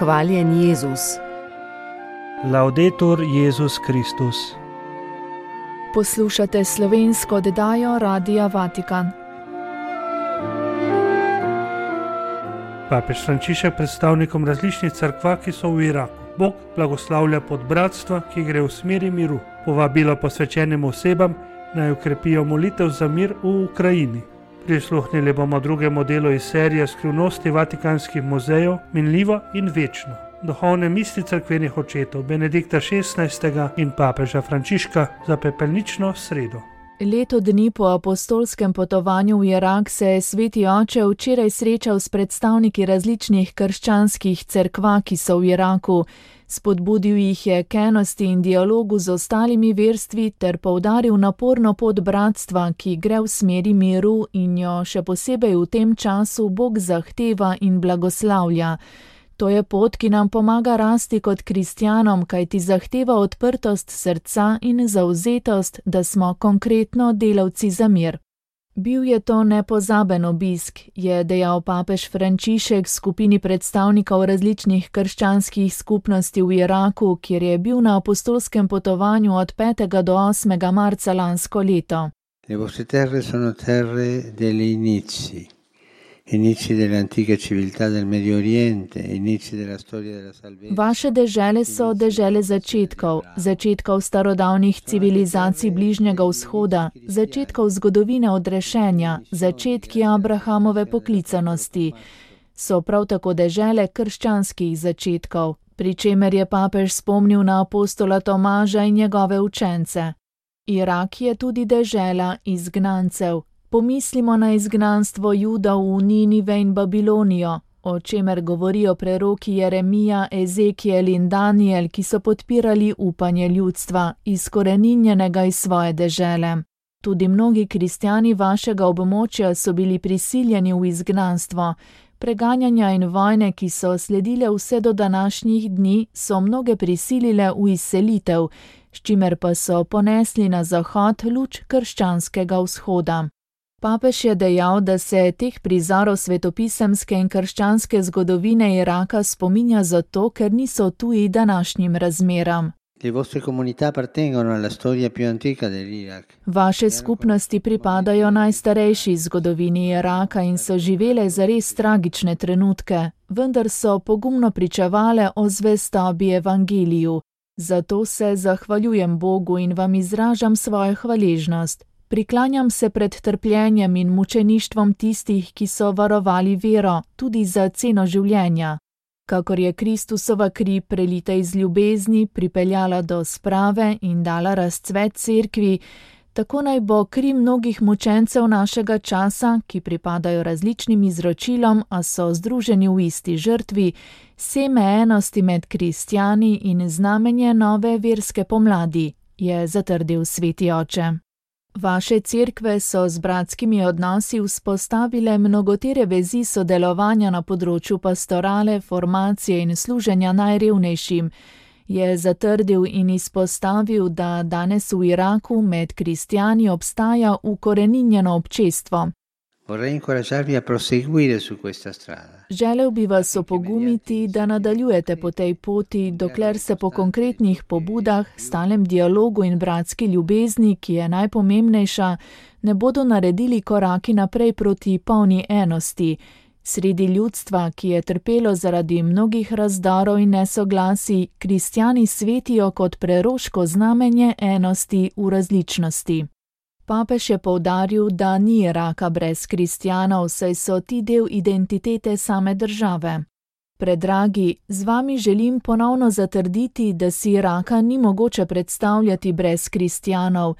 Hvaljen Jezus. Laudetur Jezus Kristus. Poslušate slovensko oddajo Radia Vatikan. Papež Frančišek predstavnikom različnih cerkva, ki so v Iraku. Bog blagoslavlja podbratstva, ki gre v smeri miru. Povabilo posvečenim osebam naj ukrepijo molitev za mir v Ukrajini. Prisluhnili bomo drugemu delu iz serije Skrivnosti vatikanskih muzejev, minljivo in večno. Duhovne misli cerkvenih očetov Benedikta XVI. In papeža Frančiška za pepelnično sredo. Leto dni po apostolskem potovanju v Irak se je sveti oče včeraj srečal s predstavniki različnih krščanskih cerkva, ki so v Iraku. Spodbudil jih je k enosti in dialogu z ostalimi verstvi ter poudaril naporno pot bratstva, ki gre v smeri miru in jo še posebej v tem času Bog zahteva in blagoslavlja. To je pot, ki nam pomaga rasti kot kristjanom, kajti zahteva odprtost srca in zavzetost, da smo konkretno delavci za mir. Bil je to nepozaben obisk, je dejal papež Frančišek skupini predstavnikov različnih krščanskih skupnosti v Iraku, kjer je bil na apostolskem potovanju od 5. do 8. marca lansko leto. Le vostre terre sono terre degli inizi. Inizi dell'antica civiltà del Medio Oriente, inizi della storia della salvezza. Vaše dežele so dežele začetkov starodavnih civilizacij Bližnjega vzhoda, začetkov zgodovine odrešenja, začetki Abrahamove poklicanosti. So prav tako dežele krščanskih začetkov, pri čemer je papež spomnil na apostola Tomaža in njegove učence. Irak je tudi dežela izgnancev. Pomislimo na izgnanstvo Juda v Ninive in Babilonijo, o čemer govorijo preroki Jeremija, Ezekiel in Daniel, ki so podpirali upanje ljudstva, izkoreninjenega iz svoje dežele. Tudi mnogi kristjani vašega območja so bili prisiljeni v izgnanstvo. Preganjanja in vojne, ki so sledile vse do današnjih dni, so mnoge prisilile v izselitev, s čimer pa so ponesli na zahod luč krščanskega vzhoda. Papež je dejal, da se teh prizorov svetopisemske in krščanske zgodovine Iraka spominja zato, ker niso tuji današnjim razmeram. Vaše skupnosti pripadajo najstarejši zgodovini Iraka in so živele zares tragične trenutke, vendar so pogumno pričevale o zvestobi evangeliju. Zato se zahvaljujem Bogu in vam izražam svojo hvaležnost. Priklanjam se pred trpljenjem in mučeništvom tistih, ki so varovali vero, tudi za ceno življenja. Kakor je Kristusova kri prelita iz ljubezni pripeljala do sprave in dala razcvet cerkvi, tako naj bo kri mnogih mučencev našega časa, ki pripadajo različnim izročilom, a so združeni v isti žrtvi, seme enosti med kristjani in znamenje nove verske pomladi, je zatrdil sveti oče. Vaše cerkve so z bratskimi odnosi vzpostavile mnogotere vezi sodelovanja na področju pastorale, formacije in služenja najrevnejšim, je zatrdil in izpostavil, da danes v Iraku med kristjani obstaja ukoreninjeno občestvo. Želel bi vas opogumiti, da nadaljujete po tej poti, dokler se po konkretnih pobudah, stalnem dialogu in bratski ljubezni, ki je najpomembnejša, ne bodo naredili koraki naprej proti polni enosti. Sredi ljudstva, ki je trpelo zaradi mnogih razdorov in nesoglasij, kristjani svetijo kot preroško znamenje enosti v različnosti. Papež je poudaril, da ni Iraka brez kristjanov, saj so ti del identitete same države. Predragi, z vami želim ponovno zatrditi, da si Iraka ni mogoče predstavljati brez kristjanov.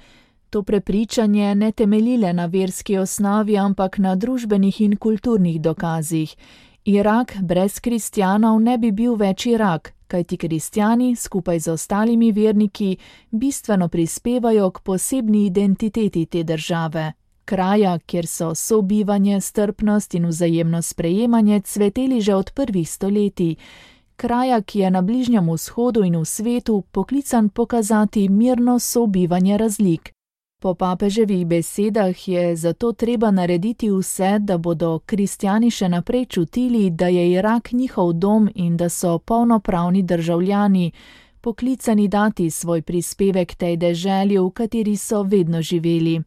To prepričanje ne temeljile na verski osnovi, ampak na družbenih in kulturnih dokazih. Irak brez kristjanov ne bi bil več Irak, kajti kristjani skupaj z ostalimi verniki bistveno prispevajo k posebni identiteti te države. Kraja, kjer so sobivanje, strpnost in vzajemno sprejemanje cveteli že od prvih stoletij. Kraja, ki je na Bližnjem vzhodu in v svetu poklican pokazati mirno sobivanje razlik. Po papeževih besedah je zato treba narediti vse, da bodo kristjani še naprej čutili, da je Irak njihov dom in da so polnopravni državljani, poklicani dati svoj prispevek tej deželi, v kateri so vedno živeli.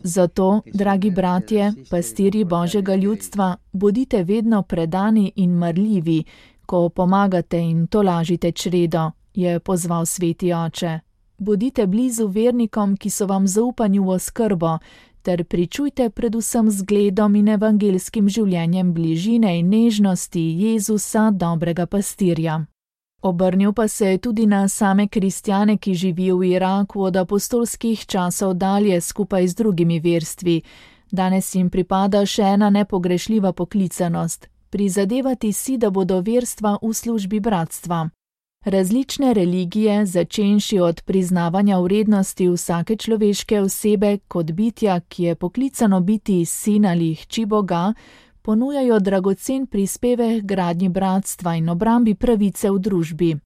Zato, dragi bratje, pastirji Božjega ljudstva, bodite vedno predani in marljivi, ko pomagate in tolažite čredo, je pozval sveti oče. Bodite blizu vernikom, ki so vam zaupani v oskrbo, ter pričujte predvsem zgledom in evangelskim življenjem bližine in nežnosti Jezusa, dobrega pastirja. Obrnil pa se je tudi na same kristjane, ki živijo v Iraku od apostolskih časov dalje skupaj z drugimi verstvi. Danes jim pripada še ena nepogrešljiva poklicanost – prizadevati si, da bodo verstva v službi bratstva. Različne religije, začenši od priznavanja vrednosti vsake človeške osebe kot bitja, ki je poklicano biti sin ali hči Boga, ponujajo dragocen prispevek gradnji bratstva in obrambi pravice v družbi.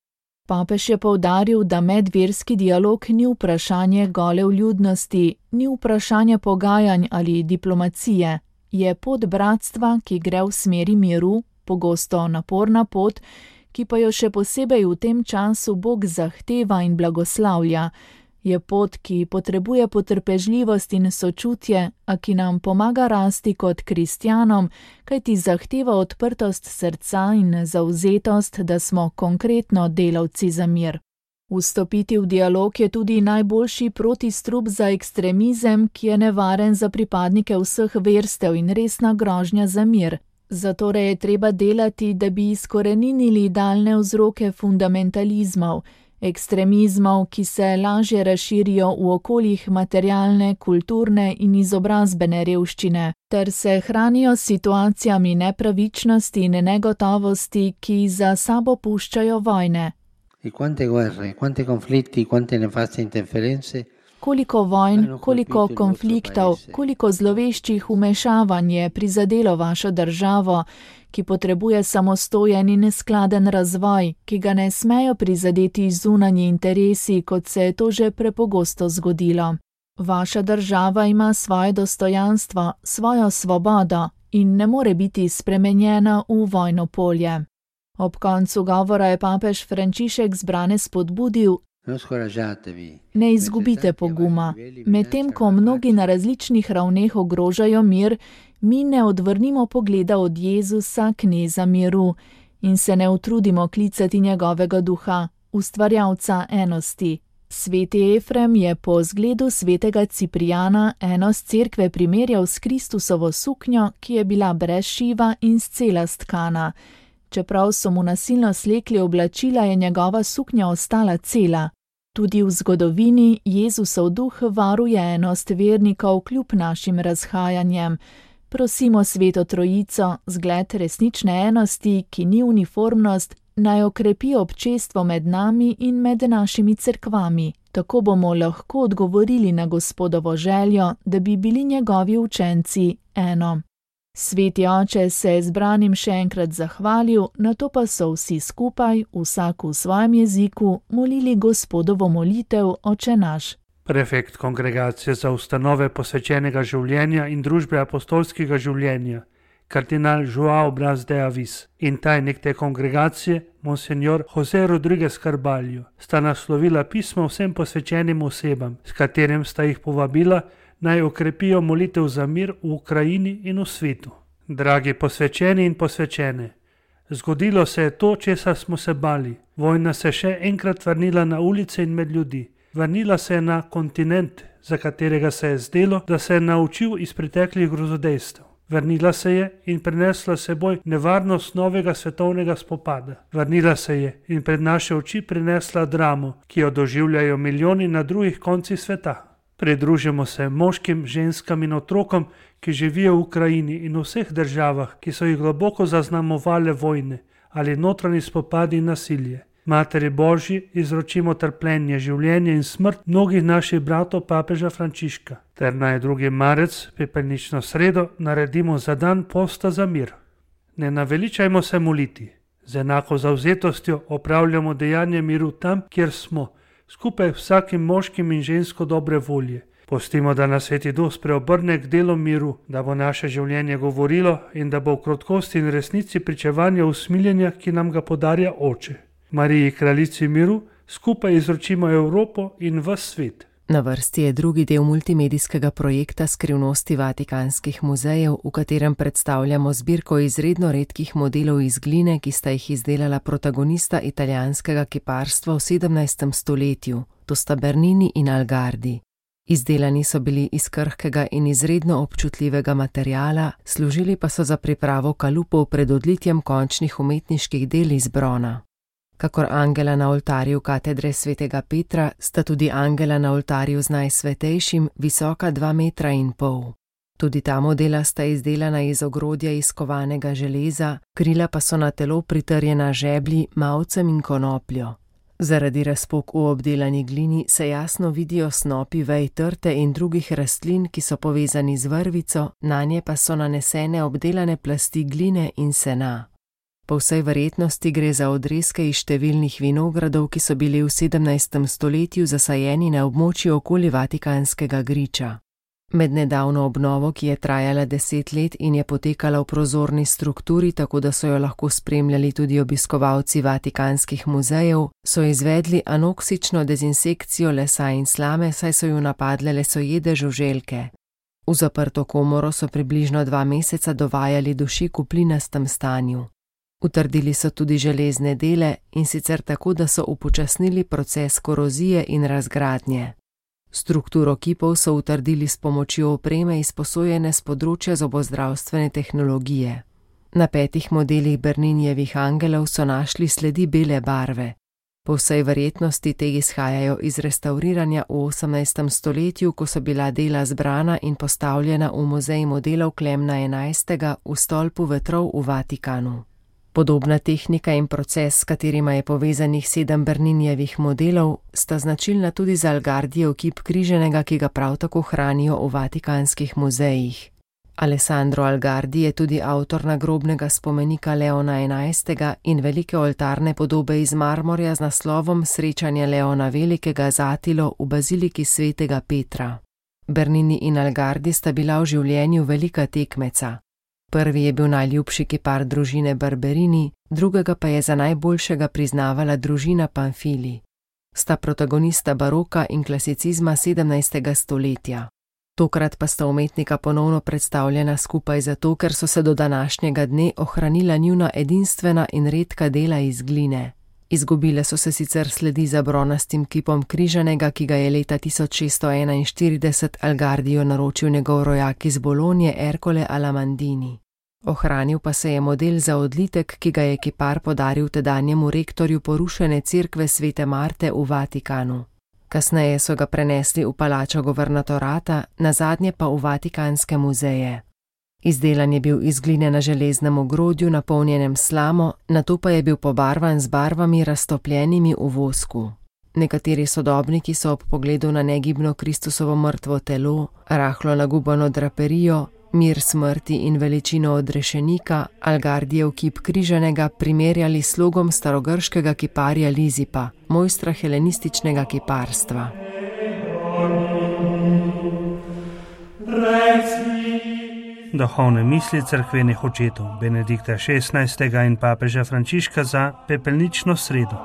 Papež je poudaril, da medverski dialog ni vprašanje gole vljudnosti, ni vprašanje pogajanj ali diplomacije, je pot bratstva, ki gre v smeri miru, pogosto naporna pot, ki pa jo še posebej v tem času Bog zahteva in blagoslavlja. Je pot, ki potrebuje potrpežljivost in sočutje, a ki nam pomaga rasti kot kristjanom, kajti zahteva odprtost srca in zavzetost, da smo konkretno delavci za mir. Vstopiti v dialog je tudi najboljši protistrup za ekstremizem, ki je nevaren za pripadnike vseh verstev in resna grožnja za mir. Zatorej je treba delati, da bi izkoreninili daljne vzroke fundamentalizmov, ekstremizmov, ki se lažje razširijo v okoljih materialne, kulturne in izobrazbene revščine, ter se hranijo s situacijami nepravičnosti in negotovosti, ki za sabo puščajo vojne. Koliko vojn, koliko konfliktov, koliko zloveščih vmešavanj je prizadelo vašo državo, ki potrebuje samostojen in neskladen razvoj, ki ga ne smejo prizadeti zunanji interesi, kot se je to že prepogosto zgodilo. Vaša država ima svoje dostojanstvo, svojo svobodo in ne more biti spremenjena v vojno polje. Ob koncu govora je papež Frančišek zbrane spodbudil: ne izgubite poguma. Medtem ko mnogi na različnih ravneh ogrožajo mir, mi ne odvrnimo pogleda od Jezusa, kneza miru, in se ne utrudimo klicati njegovega duha, ustvarjalca enosti. Sveti Efrem je po zgledu svetega Ciprijana enost cerkve primerjal s Kristusovo suknjo, ki je bila brez šiva in scela stkana. Čeprav so mu nasilno slekli oblačila, je njegova suknja ostala cela. Tudi v zgodovini Jezusov duh varuje enost vernikov kljub našim razhajanjem. Prosimo Sveto Trojico, zgled resnične enosti, ki ni uniformnost, naj okrepi občestvo med nami in med našimi cerkvami. Tako bomo lahko odgovorili na Gospodovo željo, da bi bili njegovi učenci eno. Sveti oče se je zbranim še enkrat zahvalil, nato pa so vsi skupaj, vsak v svojem jeziku, molili Gospodovo molitev Oče naš. Prefekt Kongregacije za ustanove posvečenega življenja in družbe apostolskega življenja, kardinal Joao Bras de Avis, in tajnik te kongregacije, monsignor José Rodríguez Carballo, sta naslovila pismo vsem posvečenim osebam, s katerim sta jih povabila, naj okrepijo molitev za mir v Ukrajini in v svetu. Dragi posvečeni in posvečene, zgodilo se je to, česar smo se bali. Vojna se še enkrat vrnila na ulice in med ljudi. Vrnila se je na kontinent, za katerega se je zdelo, da se je naučil iz preteklih grozodejstev. Vrnila se je in prinesla seboj nevarnost novega svetovnega spopada. Vrnila se je in pred naše oči prinesla dramo, ki jo doživljajo milijoni na drugih koncih sveta. Pridružimo se moškim, ženskam in otrokom, ki živijo v Ukrajini in v vseh državah, ki so jih globoko zaznamovale vojne ali notranji spopadi in nasilje. Materi Božji izročimo trpljenje, življenje in smrt mnogih naših bratov papeža Frančiška, ter naj 2. marec, pepelnično sredo, naredimo za dan posta za mir. Ne naveličajmo se moliti. Z enako zavzetostjo opravljamo dejanje miru tam, kjer smo, skupaj vsakim moškim in žensko dobre volje. Pustimo, da nas Sveti Duh spreobrne k delu miru, da bo naše življenje govorilo in da bo v krotkosti in resnici pričevanje usmiljenja, ki nam ga podarja Oče. Mariji, kraljici miru, skupaj izročimo Evropo in ves svet. Na vrsti je drugi del multimedijskega projekta Skrivnosti vatikanskih muzejev, v katerem predstavljamo zbirko izredno redkih modelov iz gline, ki sta jih izdelala protagonista italijanskega kiparstva v 17. stoletju, to sta Bernini in Algardi. Izdelani so bili iz krhkega in izredno občutljivega materiala, služili pa so za pripravo kalupov pred odlitjem končnih umetniških del iz brona. Kakor angela na oltarju katedre svetega Petra, sta tudi angela na oltarju z najsvetejšim visoka 2,5 metra. Tudi ta modela sta izdelana iz ogrodja iz kovanega železa, krila pa so na telo pritrjena žeblji, mavcem in konopljo. Zaradi razpok v obdelani glini se jasno vidijo snopi vej trte in drugih rastlin, ki so povezani z vrvico, nanje pa so nanesene obdelane plasti gline in sena. Po vsej verjetnosti gre za odrezke iz številnih vinogradov, ki so bili v 17. stoletju zasajeni na območju okoli Vatikanskega griča. Med nedavno obnovo, ki je trajala 10 let in je potekala v prozorni strukturi, tako da so jo lahko spremljali tudi obiskovalci Vatikanskih muzejev, so izvedli anoksično dezinsekcijo lesa in slame, saj so ju napadle lesojede žuželke. V zaprto komoro so približno 2 meseca dovajali dušik v plinastem stanju. Utrdili so tudi železne dele, in sicer tako, da so upočasnili proces korozije in razgradnje. Strukturo kipov so utrdili s pomočjo opreme izposojene s področja zobozdravstvene tehnologije. Na 5 modelih Berninijevih angelov so našli sledi bele barve. Po vsej verjetnosti te izhajajo iz restavriranja v 18. stoletju, ko so bila dela zbrana in postavljena v muzej modelov Klemna XI. V stolpu vetrov v Vatikanu. Podobna tehnika in proces, s katerima je povezanih 7 Berninijevih modelov, sta značilna tudi za Algardijev kip križenega, ki ga prav tako hranijo v Vatikanskih muzejih. Alessandro Algardi je tudi avtor nagrobnega spomenika Leona XI. In velike oltarne podobe iz marmorja z naslovom Srečanje Leona Velikega z Atilo v baziliki svetega Petra. Bernini in Algardi sta bila v življenju velika tekmeca. Prvi je bil najljubši kipar družine Barberini, drugega pa je za najboljšega priznavala družina Pamfili. Sta protagonista baroka in klasicizma 17. stoletja. Tokrat pa sta umetnika ponovno predstavljena skupaj zato, ker so se do današnjega dne ohranila njuna edinstvena in redka dela iz gline. Izgubile so se sicer sledi za bronastim kipom križanega, ki ga je leta 1641 Algardijo naročil njegov rojak iz Bolonje Ercole Alamandini. Ohranil pa se je model za odlitek, ki ga je kipar podaril tedanjemu rektorju porušene cerkve Svete Marte v Vatikanu. Kasneje so ga prenesli v palačo governatorata, nazadnje pa v Vatikanske muzeje. Izdelan je bil iz gline na železnem ogrodju, napolnjenem slamo, nato pa je bil pobarvan z barvami raztopljenimi v vosku. Nekateri sodobniki so ob pogledu na negibno Kristusovo mrtvo telo, rahlo nagubano draperijo, mir smrti in veličino odrešenika, Algardijev kip križanega primerjali s slogom starogrškega kiparja Lizipa, mojstra helenističnega kiparstva. Duhovne misli cerkvenih očetov Benedikta XVI. In papeža Frančiška za pepelnično sredo.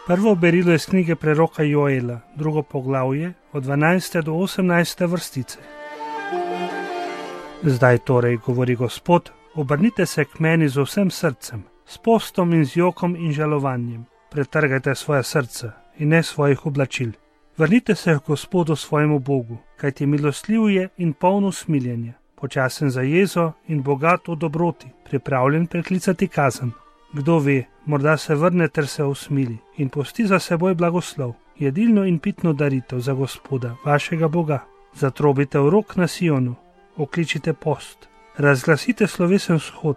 Prvo berilo iz knjige preroka Joela, 2. poglavje, od 12. do 18. vrstice. Zdaj torej, govori Gospod, obrnite se k meni z vsem srcem, s postom in z jokom in žalovanjem. Pretrgajte svoje srce in ne svojih oblačil. Vrnite se k Gospodu svojemu Bogu, kajti milostljiv je in poln usmiljenja, počasen za jezo in bogat v dobroti, pripravljen preklicati kazen. Kdo ve, morda se vrne ter se usmili in pusti za seboj blagoslov, jedilno in pitno daritev za Gospoda, vašega Boga. Zatrobite v rok na Sionu, okličite post, razglasite slovesen shod,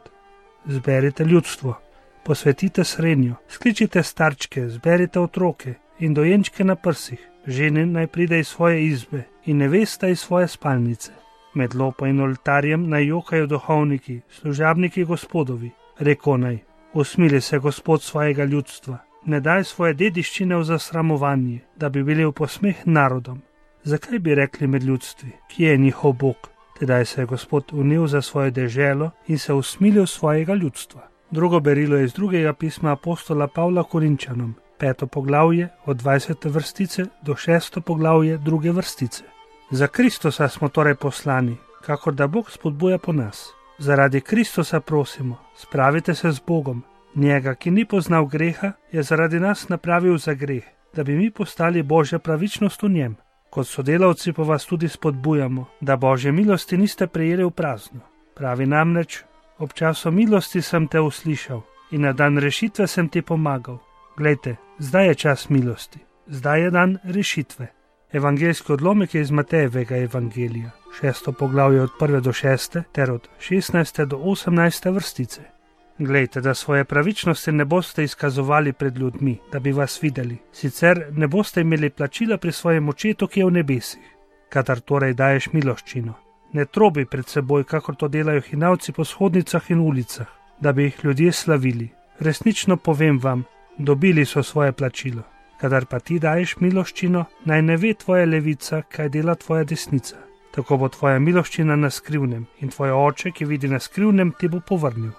zberite ljudstvo, posvetite srenjo, skličite starčke, zberite otroke in dojenčke na prsih, Žene naj pride iz svoje izbe in nevesta iz svoje spalnice. Med lopo in oltarjem naj jokajo duhovniki, služabniki Gospodovi. Reko naj, usmili se Gospod svojega ljudstva, ne daj svoje dediščine v zasramovanje, da bi bili v posmeh narodom. Zakaj bi rekli med ljudstvi, kje je njihov Bog? Tedaj se je Gospod unil za svojo deželo in se usmilil svojega ljudstva. Drugo berilo je iz drugega pisma apostola Pavla Korinčanom, 5. poglavje od 20. vrstice do 6. poglavje 2. vrstice. Za Kristusa smo torej poslani, kakor da Bog spodbuja po nas. Zaradi Kristusa prosimo, spravite se z Bogom. Njega, ki ni poznal greha, je zaradi nas napravil za greh, da bi mi postali Božja pravičnost v njem. Kot sodelavci pa vas tudi spodbujamo, da Božje milosti niste prejeli v prazno. Pravi namreč, ob času milosti sem te uslišal in na dan rešitve sem ti pomagal. Glejte, zdaj je čas milosti, zdaj je dan rešitve. Evangeljski odlomek je iz Matejevega evangelija, 6. poglavje od 1. do 6. ter od 16. do 18. vrstice. Glejte, da svoje pravičnosti ne boste izkazovali pred ljudmi, da bi vas videli, sicer ne boste imeli plačila pri svojem očetu, ki je v nebesih. Kadar torej daješ miloščino, ne trobi pred seboj, kakor to delajo hinavci po shodnicah in ulicah, da bi jih ljudje slavili. Resnično povem vam, dobili so svoje plačilo. Kadar pa ti daješ miloščino, naj ne ve tvoja levica, kaj dela tvoja desnica. Tako bo tvoja miloščina na skrivnem in tvoj oče, ki vidi na skrivnem, ti bo povrnil.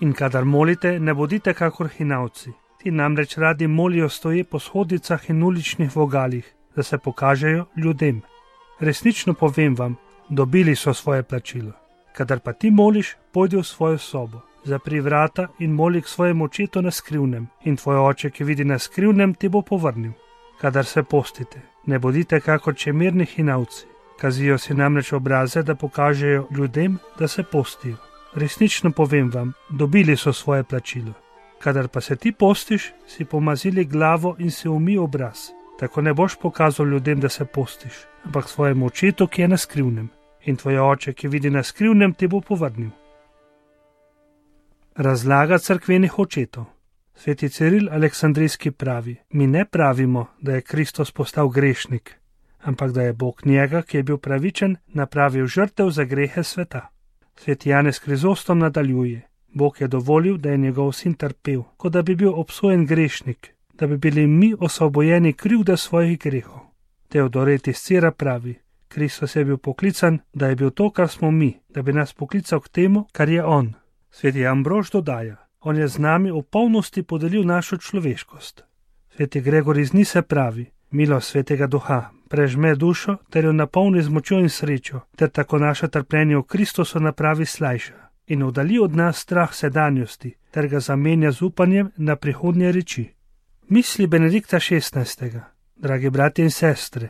In kadar molite, ne bodite kakor hinavci. Ti namreč radi molijo stoje po shodnicah in uličnih vogalih, da se pokažejo ljudem. Resnično povem vam, dobili so svoje plačilo. Kadar pa ti moliš, pojdi v svojo sobo, zapri vrata in moli k svojemu očetu na skrivnem, in tvoj oče, ki vidi na skrivnem, ti bo povrnil. Kadar se postite, ne bodite kakor čemerni hinavci. Kazijo si namreč obraze, da pokažejo ljudem, da se postijo. Resnično povem vam, dobili so svoje plačilo. Kadar pa se ti postiš, si pomazili glavo in si umij obraz. Tako ne boš pokazal ljudem, da se postiš, ampak svojemu očetu, ki je na skrivnem. In tvoj oče, ki vidi na skrivnem, ti bo povrnil. Razlaga cerkvenih očetov. Sveti Ciril Aleksandrijski pravi, mi ne pravimo, da je Kristus postal grešnik, ampak da je Bog njega, ki je bil pravičen, napravil žrtev za grehe sveta. Sveti Janez Krizostom nadaljuje, Bog je dovolil, da je njegov sin trpel, kot da bi bil obsojen grešnik, da bi bili mi osvobojeni krivde svojih grehov. Teodoret iz Cira pravi, Kristus je bil poklican, da je bil to, kar smo mi, da bi nas poklical k temu, kar je on. Sveti Ambrož dodaja, on je z nami v polnosti podelil našo človeškost. Sveti Gregor iz Nise pravi, milost Svetega Duha prežme dušo ter jo napolni z močjo in srečo, ter tako naše trpljenje v Kristusu napravi slajša in oddali od nas strah sedanjosti, ter ga zamenja z upanjem na prihodnje reči. Misli Benedikta XVI. Dragi bratje in sestre,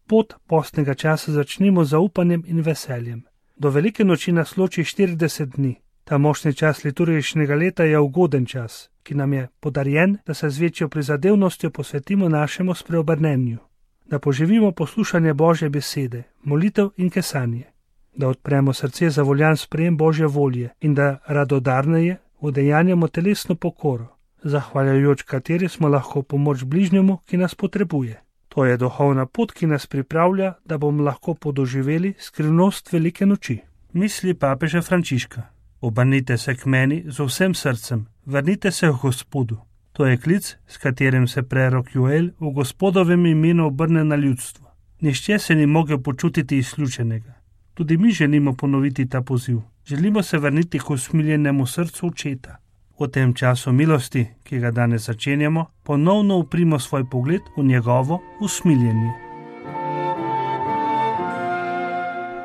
pot postnega časa začnimo z zaupanjem in veseljem. Do velike noči nas loči 40 dni. Ta močni čas liturgičnega leta je ugoden čas, ki nam je podarjen, da se z večjo prizadevnostjo posvetimo našemu spreobrnenju, da poživimo poslušanje Božje besede, molitev in kesanje, da odpremo srce za voljan sprejem Božje volje in da radodarneje udejanjamo telesno pokoro, zahvaljujoč kateri smo lahko pomoč bližnjemu, ki nas potrebuje. To je duhovna pot, ki nas pripravlja, da bomo lahko podoživeli skrivnost velike noči. Misli papeža Frančiška. Obrnite se k meni z vsem srcem, vrnite se k Gospodu. To je klic, s katerim se prerok Joel v Gospodovem imenu obrne na ljudstvo. Nihče se ni mogel počutiti izključenega. Tudi mi želimo ponoviti ta poziv. Želimo se vrniti k usmiljenemu srcu očeta. V tem času milosti, ki ga danes začenjamo, ponovno uprimo svoj pogled v njegovo usmiljenje.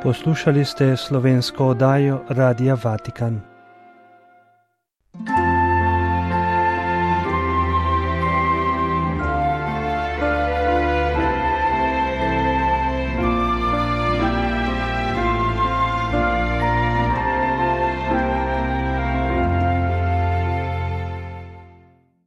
Poslušali ste slovensko oddajo Radia Vatikan.